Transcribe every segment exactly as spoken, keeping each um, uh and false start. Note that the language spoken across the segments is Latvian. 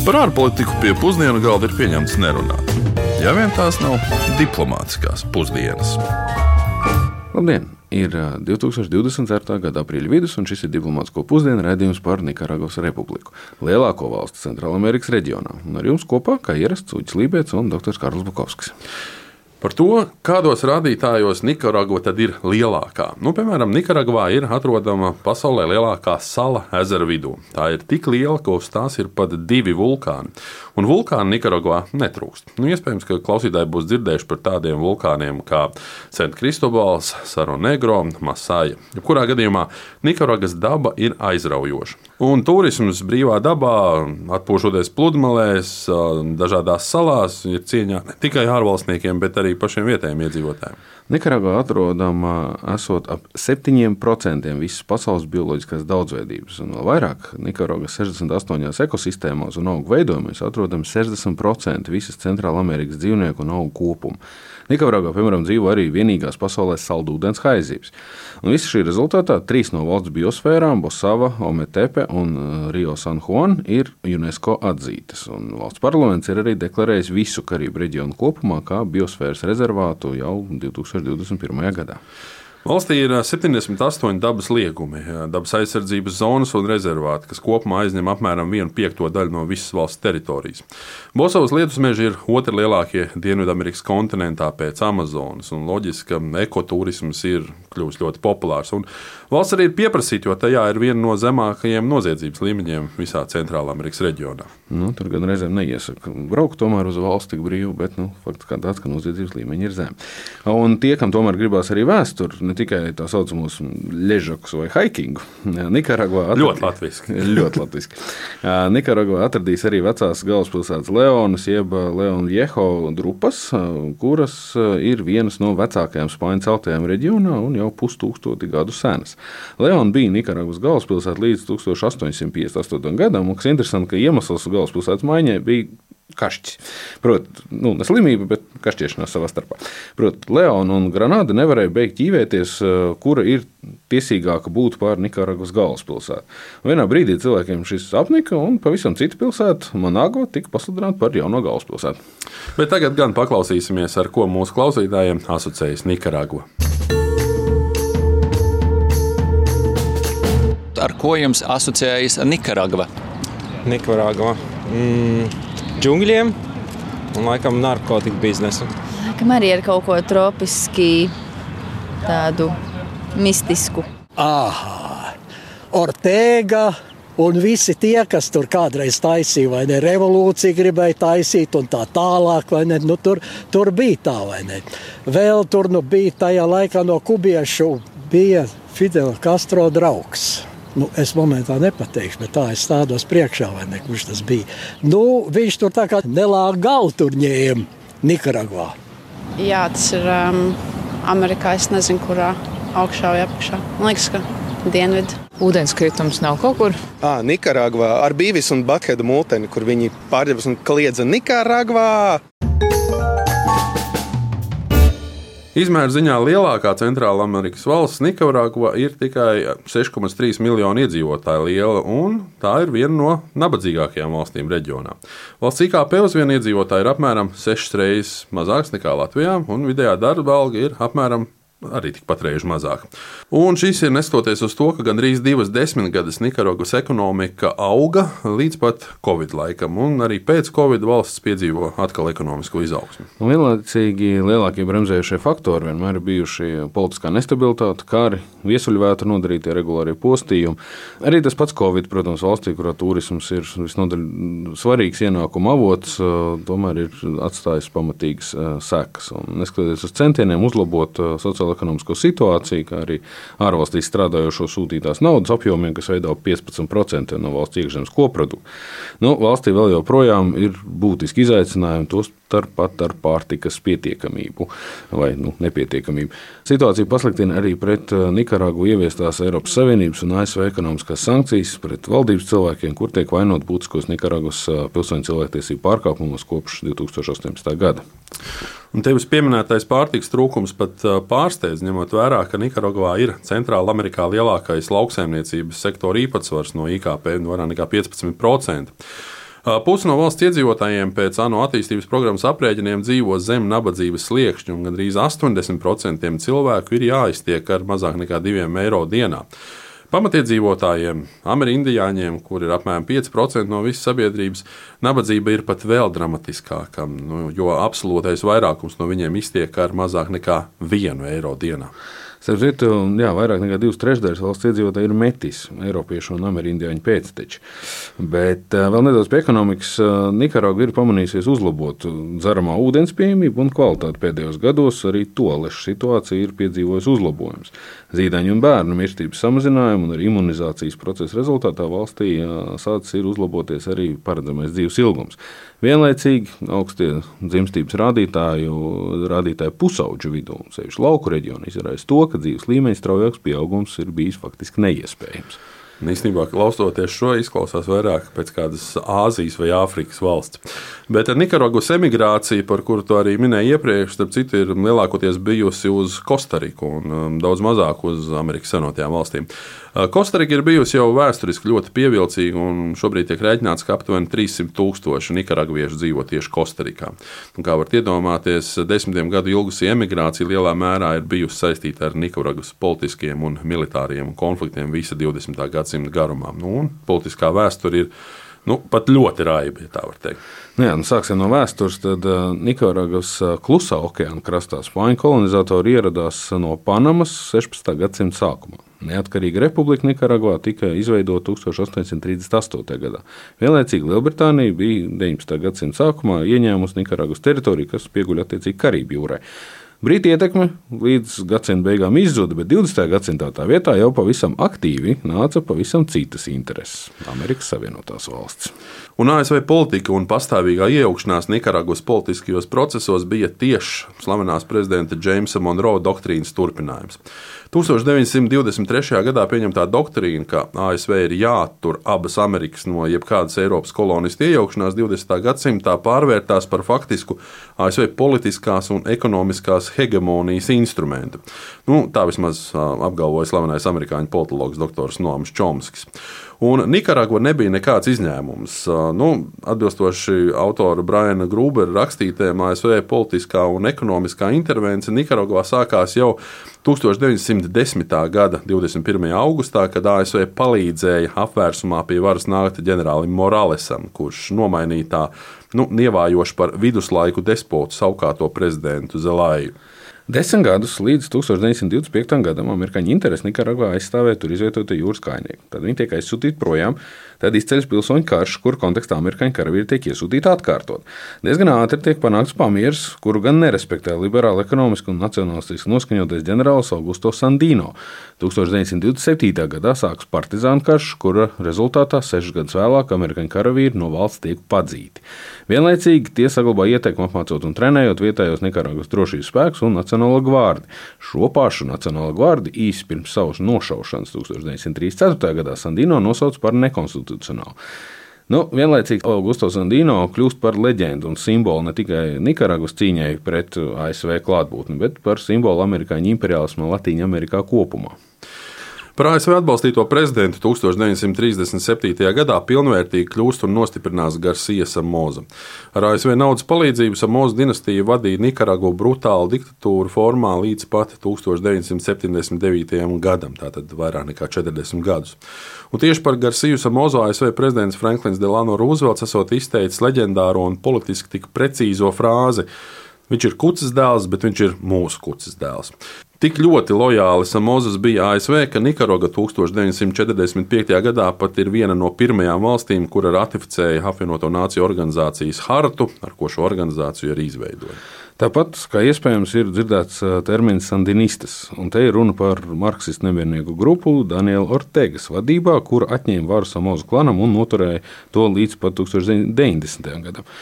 Par ārpolitiku pie pusdienu galda ir pieņemts nerunāt. Ja vien tās nav diplomātiskās pusdienas. Labdien! Ir divi tūkstoši divdesmit ceturtā gada aprīļa vidus, un šis ir diplomātisko pusdienu raidījums par Nikaragvas republiku, lielāko valsti Centrālamerikas reģionā. Un ar jums kopā, kā ierasts, Uģis Lībēts un doktors Karls Bukovskis. Par to, kādos rādītājos Nikaragva tad ir lielākā. Nu, piemēram, Nikaragvā ir atrodama pasaulē lielākā sala ezera vidū. Tā ir tik liela, ka uz tās ir pat divi vulkāni. Un vulkāni Nikaragvā netrūkst. Nu, iespējams, ka klausītāji būs dzirdējuši par tādiem vulkāniem kā Sent Kristobals, Saro Negro, Masaja. Jebkurā gadījumā Nikaragvas daba ir aizraujoša. Un turisms brīvā dabā, atpūšoties pludmalēs, dažādās salās, ir cieņā ne tikai ārvalstniekiem, bet arī pašiem vietējiem iedzīvotājiem. Nikaragvā atrodama esot ap septiņiem procentiem visas pasaules bioloģiskās daudzveidības, un vēl vairāk Nikaragvas sešdesmit astoņās ekosistēmās un augu veidojumos atrodami sešdesmit procenti visas Centrālamerikas dzīvnieku un augu kopuma. Nikaragvā, piemēram, dzīvo arī vienīgās pasaulē saldūdens haizivs. Un visa šī rezultātā trīs no valsts biosfērām, Bosava, Ometepe un Rio San Juan, ir UNESCO atzītas. Un valsts parlaments ir arī deklarējis visu Karību reģionu kopumā kā biosfēras rezervātu jau divi tūkstoši divdesmit pirmajā gadā. Valstī ir septiņdesmit astoņi dabas liegumi, dabas aizsardzības zonas un rezervāti, kas kopumā aizņem apmēram vienu piekto daļu no visas valsts teritorijas. Bosavas ledusmeži ir otri lielākie Dienvidamerikas kontinentā pēc Amazonas, un loģiski, ka ekoturisms ir kļuvis ļoti populārs. Un valsts arī ir pieprasīta, jo tajā ir viena no zemākajiem noziedzības līmeņiem visā Centrālamerikas reģionā. Nu, tur gan reizēm neiesaka braukt tomēr uz valsti tik brīvi, bet nu, fakts kā tāds, ka noziedzības līmeņi ir zemi. Un tie, kam tomēr gribās arī vēsturi, ne tikai tā saucamos ležakus vai haikingu. Nikaragvā atradīs, ļoti latviski. ļoti latviski. Nikaragvā atradīs arī vecās galvaspilsētas Leonas, jeb Leon Viejo drupas, kuras ir vienas no vecākajām spāņu celtajām reģionā un jau pustūkstoti gadu senas. Leon bija Nikaragvas galvaspilsēta līdz tūkstoš astoņsimt piecdesmit astotajam gadam, un kas interesanti, ka iemesls galvaspilsētas maiņai bija kašķis. Proti, nu, ne slimība, bet kašķiešanās savā starpā. Proti, Leona un Granada nevarēja beigt ķīvēties, kura ir tiesīgāka būt pār Nikaragvas galvaspilsētu. Vienā brīdī cilvēkiem šis apnika, un pavisam cita pilsēta, Managua, tika pasludināta par jauno galvaspilsētu. Bet tagad gan paklausīsimies, ar ko mūsu klausītājiem asociējas Nikaragva. Ar ko jums asociējas Nikaragva? Nikaragva. Mm. Džungļiem un, laikam, narkotiku biznesu. Laikam arī ar kaut ko tropiski, tādu mistisku. Aha, Ortega un visi tie, kas tur kādreiz taisīja, vai ne, revolūciju gribēja taisīt un tā tālāk, vai ne, nu tur, tur bija tā, vai ne. Vēl tur nu bija tajā laikā no kubiešu bija Fidela Castro draugs. Nu, es momentā nepateikšu, bet tā es stādos priekšā, vai ne, kurš tas bija. Nu, viņš tur tā kā nelāga galu tur ņēma Nikaragvā. Jā, tas ir um, Amerikā, es nezinu, kurā augšā vai apakšā. Man liekas, ka dienvidu. Ūdenskritums nav kaut kur? Ā, Nikaragvā ar Bīvis un Bathedu multeni, kur viņi pārģerbas un kliedza Nikaragvā. Izmēra ziņā lielākā Centrālamerikas valsts Nikaragva ir tikai seši komats trīs miljoni iedzīvotāju liela, un tā ir viena no nabadzīgākajām valstīm reģionā. Valsts I K P uz vienu iedzīvotāju ir apmēram sešas reizes mazāks nekā Latvijā, un vidējā darba alga ir apmēram arī tikpat reižu mazāk. Un šis ir neskatoties uz to, ka gandrīz divas desmitgades Nikaragvas ekonomika auga līdz pat Covid laikam, un arī pēc Covid valsts piedzīvo atkal ekonomisko izaugsmu. Vienlaicīgi lielākie bremzējušie faktori vienmēr ir bijuši politiskā nestabilitāte, kari, viesuļvētra nodarītie regulārie postījumi. Arī tas pats Covid, protams, valstī, kurā turisms ir visnodaļ svarīgs ienākuma avots, tomēr ir atstājis pamatīgas sekas. Un neskatoties uz centieniem uzlabot sociālo ekonomisko situāciju, kā arī ārvalstīs strādājošo sūtītās naudas apjomiem, kas veido piecpadsmit procenti no valsts iekšzemes koprodukta. Nu, valstī vēl joprojām ir būtiski izaicinājumi, tos starpat ar pārtikas pietiekamību vai nu, nepietiekamību. Situācija pasliktina arī pret Nikaragvu ieviestās Eiropas Savienības un A S V ekonomiskās sankcijas pret valdības cilvēkiem, kur tiek vainot būtiskos Nikaragvas pilsoņu cilvēktiesību pārkāpumos kopš divi tūkstoši astoņpadsmitā gada. Un tevis pieminētais pārtikas trūkums pat pārsteidz, ņemot vērā, ka Nikaragvā ir Centrāla Amerikā lielākais lauksaimniecības sektora īpatsvars no I K P, vairāk nekā piecpadsmit procenti. Pusi no valsts iedzīvotājiem pēc ANO attīstības programmas aprēķiniem dzīvo zem nabadzības sliekšņa, un gandrīz astoņdesmit procenti cilvēku ir jāiztiek ar mazāk nekā diviem eiro dienā. Pamatiedzīvotājiem, amerindiāņiem, kur ir apmēram pieci procenti no visas sabiedrības, nabadzība ir pat vēl dramatiskāka, nu, jo absolūtais vairākums no viņiem iztiek ar mazāk nekā vienu eiro dienā. Starp citu, jā, vairāk nekā divas trešdaļas valsts iedzīvotāji ir metis, eiropiešu un amerindiāņu pēcteči. Bet vēl nedaudz pie ekonomikas. Nikaragva ir pamanījusies uzlabot dzeramā ūdens pieejamību un kvalitāti pēdējos gados. Arī toalešu situācija ir piedzīvojusi uzlabojumus. Zīdaiņu un bērnu mirstības samazinājumu un arī imunizācijas procesa rezultātā valstī sācis ir uzlaboties arī paredzamais dzīves ilgums. Vienlaicīgi augstie dzimstības rādītāju, rādītāju pusauģu vidū, sevišķi lauku reģionu, izraisa to, ka dzīves līmeņa straujāks pieaugums ir bijis faktiski neiespējams. Īstenībā, klausoties šo, izklausās vairāk pēc kādas Āzijas vai Āfrikas valsts. Bet Nikaragvas emigrācija, par kuru to arī minēju iepriekš, starp citu, ir lielākoties bijusi uz Kostariku un um, daudz mazāk uz Amerikas Savienotajām valstīm. Uh, Kostarika ir bijusi jau vēsturiski ļoti pievilcīga, un šobrīd tiek rēķināts, ka aptuveni trīssimt tūkstoši nikaragviešu dzīvo tieši Kostarikā. Un, kā varat iedomāties, desmitiem gadu ilgusī emigrācija lielā mērā ir bijusi saistīta ar Nikaragvas politiskiem un militāriem konfliktiem visa divdesmitā gadsimta garumā. Nu, un politiskā vēsture ir nu, pat ļoti raiba, ja tā var teikt. Nu jā, nu sāksim no vēstures. Tad uh, Nikaragvas uh, klusā okeāna krastā spāņu kolonizatori ieradās no Panamas sešpadsmitā gadsimta sākumā. Neatkarīga republika Nikaragvā tika izveidota tūkstoš astoņsimt trīsdesmit astotajā gadā. Vienlaicīgi Lielbritānija bija deviņpadsmitā gadsimta sākumā ieņēmusi Nikaragvas teritoriju, kas pieguļ attiecīgi Karību jūrai. Brītu ietekme līdz gadsimta beigām izzuda, bet divdesmitajā gadsimtā tā vietā jau pavisam aktīvi nāca pavisam citas intereses - Amerikas Savienotās valstis. Un A S V politika un pastāvīgā iejaukšanās Nikaragvas politiskajos procesos bija tieši slavenās prezidenta Džeimsa Monroe doktrīnas turpinājums. tūkstoš deviņsimt divdesmit trešajā gadā pieņemtā doktrīna, ka A S V ir jāattur abas Amerikas no jebkādas Eiropas kolonistu iejaukšanās divdesmitā gadsimtā, pārvērtās par faktisku A S V politiskās un ekonomiskās hegemonijas instrumentu. Nu, tā vismaz apgalvoja slavenais amerikāņu politologs doktors Noams Čomskis. Un Nikaragva nebija nekāds izņēmums. Nu, atbilstoši autora Briana Grubera rakstītēm, A S V politiskā un ekonomiskā intervence Nikaragvā sākās jau tūkstoš deviņsimt desmitā gada divdesmit pirmajā augustā, kad A S V palīdzēja apvērsumā pie varas nākt ģenerālim Moralesam, kurš nomainīja tā nu, nievājoši par viduslaiku despotu saukāto prezidentu Zelaju. Desmit gadus līdz tūkstoš deviņsimt divdesmit piektajam gadam amerikāņu interesi Nikaragvā aizstāvēt tur izvietotie jūras kājnieki. Tad viņi tiek aizsūtīti projām, tad izceļas pilsoņu karš, kur kontekstā amerikāņu karavīri tiek iesūtīti atkārtot. Diezgan ātri tiek panākts pamieris, kuru gan nerespektē liberāli ekonomiski un nacionalistiski noskaņotais ģenerālis Augusto Sandino. tūkstoš deviņsimt divdesmit septītajā gadā sākas partizānu karš, kura rezultātā sešus gadus vēlāk amerikāņu karavīri no valsts tiek padzīti. Vienlaicīgi tie saglabā ieteikumu apmācot un trenējot vietējos Nikaragvas drošības spēkus un Nacionālo gvardi. Šo pašu Nacionālo gvardi īsi pirms savas nošaušanas tūkstoš deviņsimt trīsdesmit ceturtajā gadā Sandino nosauca par nekonstitucionālu. Nu, vienlaicīgi Augusto Sandino kļūst par leģendu un simbolu ne tikai Nikaragvas cīņai pret A S V klātbūtni, bet par simbolu amerikāņu imperiālismu Latīņa Amerikā kopumā. Par A S V atbalstīto prezidentu tūkstoš deviņsimt trīsdesmit septītajā gadā pilnvērtīgi kļūst un nostiprinās Garcia Somoza. Ar A S V naudas palīdzību Somoza dinastija vadīja Nikaragvu brutālu diktatūru formā līdz pat tūkstoš deviņsimt septiņdesmit devītajam gadam, tātad vairāk nekā četrdesmit gadus. Un tieši par Garciju Somozu A S V prezidents Franklins Delano Roosevelts esot izteicis leģendāro un politiski tik precīzo frāzi: viņš ir kuces dēls, bet viņš ir mūsu kuces dēls. Tik ļoti lojāli Somozas bija A S V, ka Nikaragva tūkstoš deviņsimt četrdesmit piektajā gadā pat ir viena no pirmajām valstīm, kura ratificēja apvienoto nāciju organizācijas hartu, ar ko šo organizāciju arī izveidoja. Tāpat, kā iespējams, ir dzirdēts termins sandinistas, un te ir runa par marksistu nemiernieku grupu Daniela Ortegas vadībā, kura atņēma varu Somozu klanam un noturēja to līdz pat tūkstoš deviņsimt deviņdesmitajam gadam.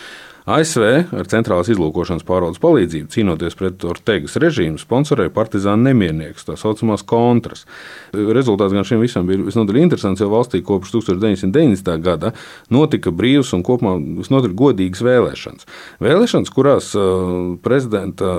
A S V ar centrālās izlūkošanas pārvaldes palīdzību cīnoties pret Ortegas režīmu sponsorēja partizānu nemierniekus, tā saucamās kontras. Rezultāts gan šiem visam bija visnotaļ interesants, jo valstī kopš tūkstoš deviņsimt deviņdesmitā gada notika brīvas un kopumā visnotaļ godīgas vēlēšanas. Vēlēšanas, kurās prezidenta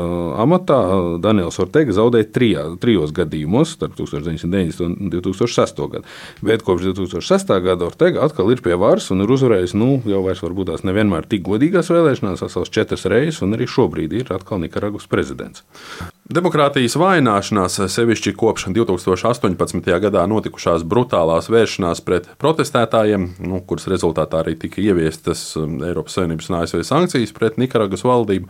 amatā Daniels Ortega zaudēja trijā, trijos gadījumos starp tūkstoš deviņsimt deviņdesmito un divi tūkstoši sesto gadu. Bet kopš divi tūkstoši sestā gada Ortega atkal ir pie varas un ir uzvarējis, nu, jau vairs varbūt tās nevienmēr tik godīgās vēlēšanās, sasauc četras reizes, un arī šobrīd ir atkal Nikaragvas prezidents. Demokrātijas vājināšanās, sevišķi kopš divi tūkstoši astoņpadsmitajā gadā notikušās brutālās vēršanās pret protestētājiem, nu, kuras rezultātā arī tika ieviestas Eiropas Savienības un A S V sankcijas pret Nikaragvas valdību,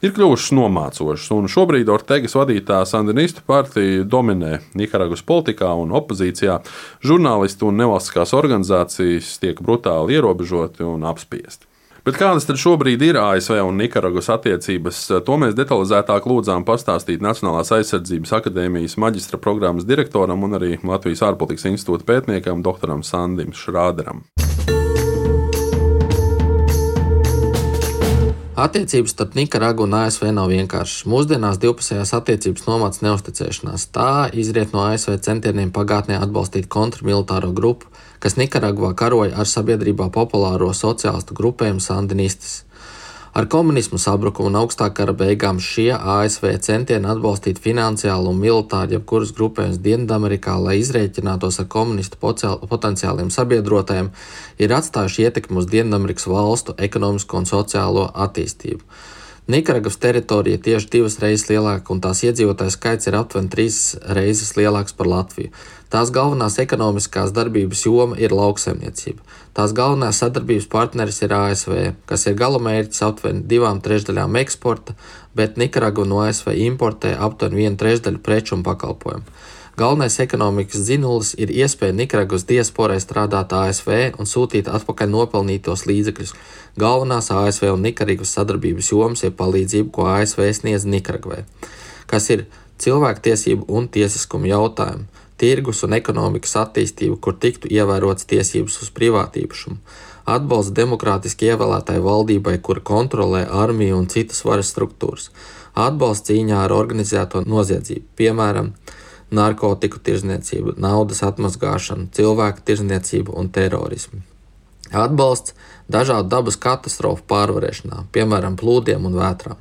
ir kļuvušas nomācošas, un šobrīd Ortegas vadītā sandinistu partija dominē Nikaragvas politikā un opozīcijā. Žurnālisti un nevalstiskās organizācijas tiek brutāli ierobežoti un apspiesti. Bet kādas tad šobrīd ir A S V un Nikaragvas attiecības? To mēs detalizētāk lūdzām pastāstīt Nacionālās aizsardzības akadēmijas maģistra programmas direktoram un arī Latvijas ārpolitikas institūta pētniekam doktoram Sandim Šrāderam. Attiecības starp Nikaragvu un A S V nav vienkāršas. Mūsdienās divpusējās attiecības nomāc neusticēšanās. Tā izriet no A S V centieniem pagātnē atbalstīt kontrmilitāro grupu, kas Nikaragvā karoja ar sabiedrībā populāro sociālistu grupējumu sandinistas. Ar komunismu sabrukumu un augstā kara beigām šie A S V centieni atbalstīt finansiāli un militāri jebkuras grupējumus Dienvidamerikā, lai izrēķinātos ar komunistu potenciāliem sabiedrotājiem, ir atstājuši ietekmi uz Dienvidamerikas valstu ekonomisko un sociālo attīstību. Nikaragvas teritorija tieši divas reizes lielāka, un tās iedzīvotāju skaits ir aptuveni trīs reizes lielāks par Latviju. Tās galvenās ekonomiskās darbības joma ir lauksaimniecība. Tās galvenās sadarbības partneris ir A S V, kas ir galamērķis aptuveni divām trešdaļām eksporta, bet Nikaragva no A S V importē aptuveni vienu trešdaļu preču un pakalpojumu. Galvenais ekonomikas dzinulis ir iespēja Nikaragvas diasporai strādāt A S V un sūtīt atpakaļ nopelnītos līdzekļus. Galvenās A S V un Nikaragvas sadarbības jomas ir palīdzība, ko A S V sniedz Nikaragvai, kas ir cilvēktiesību un tiesiskuma jautājumi, tirgus un ekonomikas attīstība, kur tiktu ievērotas tiesības uz privātīpašumu, atbalsts demokrātiski ievēlētai valdībai, kura kontrolē armiju un citas varas struktūras, atbalsts cīņā ar organizēto noziedzību, piemēram, narkotiku tirdzniecību, naudas atmazgāšanu, cilvēku tirdzniecību un terorismu. Atbalsts dažādu dabas katastrofu pārvarēšanā, piemēram, plūdiem un vētrām.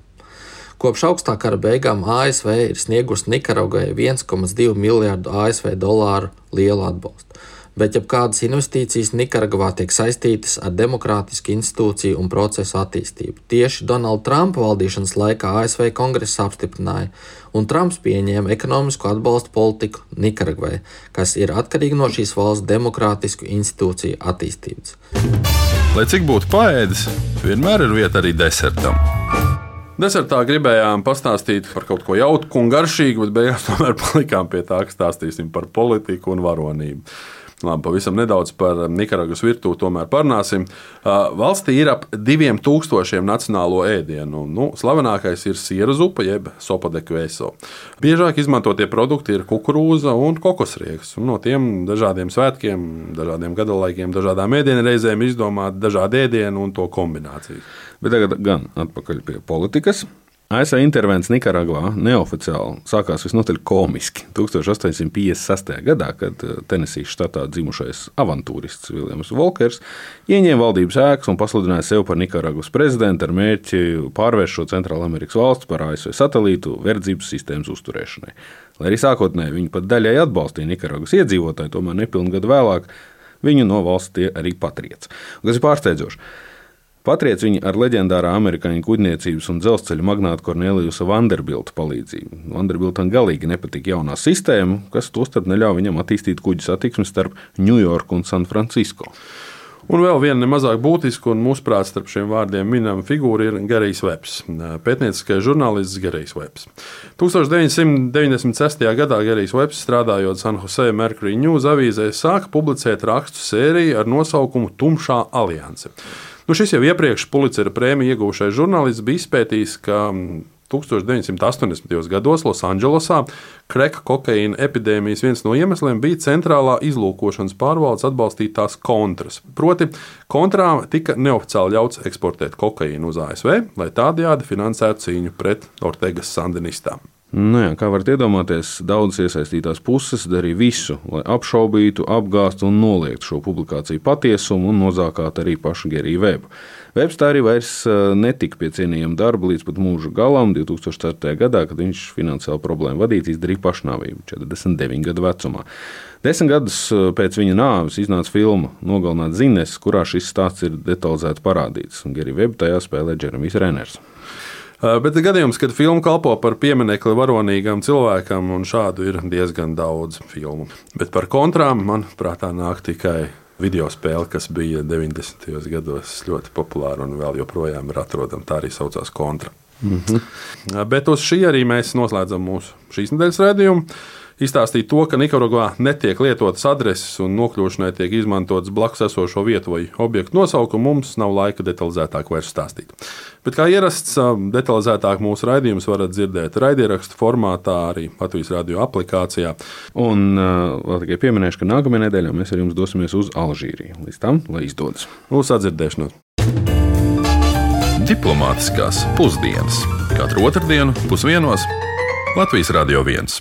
Kopš augstā kara beigām A S V ir sniegusi Nikaragvai viens komats divi miljardu A S V dolāru lielu atbalstu, bet jebkādas investīcijas Nikaragvā tiek saistītas ar demokrātisku institūciju un procesu attīstību. Tieši Donalda Trumpa valdīšanas laikā A S V kongress apstiprināja, un Trumps pieņēma ekonomisku atbalstu politiku Nikaragvai, kas ir atkarīga no šīs valsts demokrātisku institūciju attīstības. Lai cik būtu paēdis, vienmēr ir vieta arī desertam. Desertā gribējām pastāstīt par kaut ko jautru un garšīgu, bet beigās tomēr palikām pie tā, ka stāstīsim par politiku un varonību. Labi, pavisam nedaudz par Nikaragvas virtuvi tomēr parunāsim. Valstī ir ap diviem tūkstošiem nacionālo ēdienu. Nu, slavenākais ir siera zupa, jeb sopa de queso. Biežāk izmantotie produkti ir kukurūza un kokosrieks. Un no tiem dažādiem svētkiem, dažādiem gadalaikiem, dažādām ēdienreizēm izdomāt dažādi ēdieni un to kombinācijas. Bet tagad gan atpakaļ pie politikas. A S V intervents Nikaragvā neoficiāli sākās visnotaļ komiski tūkstoš astoņsimt piecdesmit sestajā gadā, kad Tenesijas štatā dzimušais avantūrists Viljams Volkers ieņēma valdības ēkas un pasludināja sevi par Nikaragvas prezidentu ar mērķi pārvērst šo Centrālamerikas valsti par A S V satelītu verdzības sistēmas uzturēšanai. Lai arī sākotnēji viņi pat daļai atbalstīja Nikaragvas iedzīvotāji, tomēr nepilnu gadu vēlāk viņu no valsts tie arī patriec. Kas ir pārsteidzoši. Patriec viņi ar leģendārā amerikāņu kuģniecības un dzelzceļa magnāta Korneliusa Vanderbilta palīdzību. Vanderbiltam galīgi nepatika jaunā sistēma, kas tostarp neļauj viņam attīstīt kuģu satiksmi starp Ņujorku un San Francisco. Un vēl viena nemazāk būtiska un mūsuprāt starp šiem vārdiem minama figūra ir Gerijs Webs, pētnieciskais žurnālists Gerijs Webs. tūkstoš deviņsimt deviņdesmit sestajā gadā Gerijs Webs, strādājot San Jose Mercury News avīzē, sāka publicēt rakstu sēriju ar nosaukumu Tumšā alianse. Nu, šis jau iepriekš Pulicera prēmiju iegūšais žurnālists bija izpētījis, ka tusiņš deviņsimt astoņdesmitajos gados Losandželosā kreka kokaīna epidēmijas viens no iemesliem bija centrālā izlūkošanas pārvaldes atbalstītās kontras. Proti, kontrām tika neoficiāli ļauts eksportēt kokaīnu uz A S V, lai tādējādi finansētu cīņu pret Ortegas sandinistām. Nu jā, kā varat iedomāties, daudzas iesaistītās puses darīja visu, lai apšaubītu, apgāstu un noliegtu šo publikāciju patiesumu un nozākātu arī pašu Geriju Vebu. Vebs tā arī vairs netika pie cienījama darba līdz pat mūža galam. divs tūkstoš ceturtajā gadā, kad viņš finansiāli problēmu vadīts, izdarīja pašnāvību četrdesmit deviņu gadu vecumā. Desmit gadus pēc viņa nāves iznāca filma Nogalināt Zines, kurā šis stāsts ir detalizēti parādīts. Geriju Vebu tajā spēlē Džeremijs Reners. Bet gadījums, kad filma kalpo par pieminekli varonīgam cilvēkam, un šādu ir diezgan daudz filmu. Bet par kontrām man prātā nāk tikai video spēle, kas bija deviņdesmitajos gados ļoti populāra un vēl joprojām ir atrodama. Tā arī saucās Kontra. Mm-hmm. Bet uz šī arī mēs noslēdzam mūsu šīs nedēļas raidījumu. Izstāstīt to, ka Nikaragvā netiek lietotas adreses un nokļūšanai tiek izmantotas blakus esošo vietu vai objektu nosaukumu, mums nav laika detalizētāk vairs stāstīt. Bet kā ierasts, detalizētāk mūsu raidījumus varat dzirdēt raidierakstu formātā, arī Latvijas radio aplikācijā. Un vēl tikai pieminēšu, ka nākamajā nedēļā mēs ar jums dosimies uz Alžīriju. Līdz tam, lai izdodas. Uz sadzirdēšanos. Diplomātiskās pusdienas. Katru otrdienu pusdienos Latvijas Radio viens.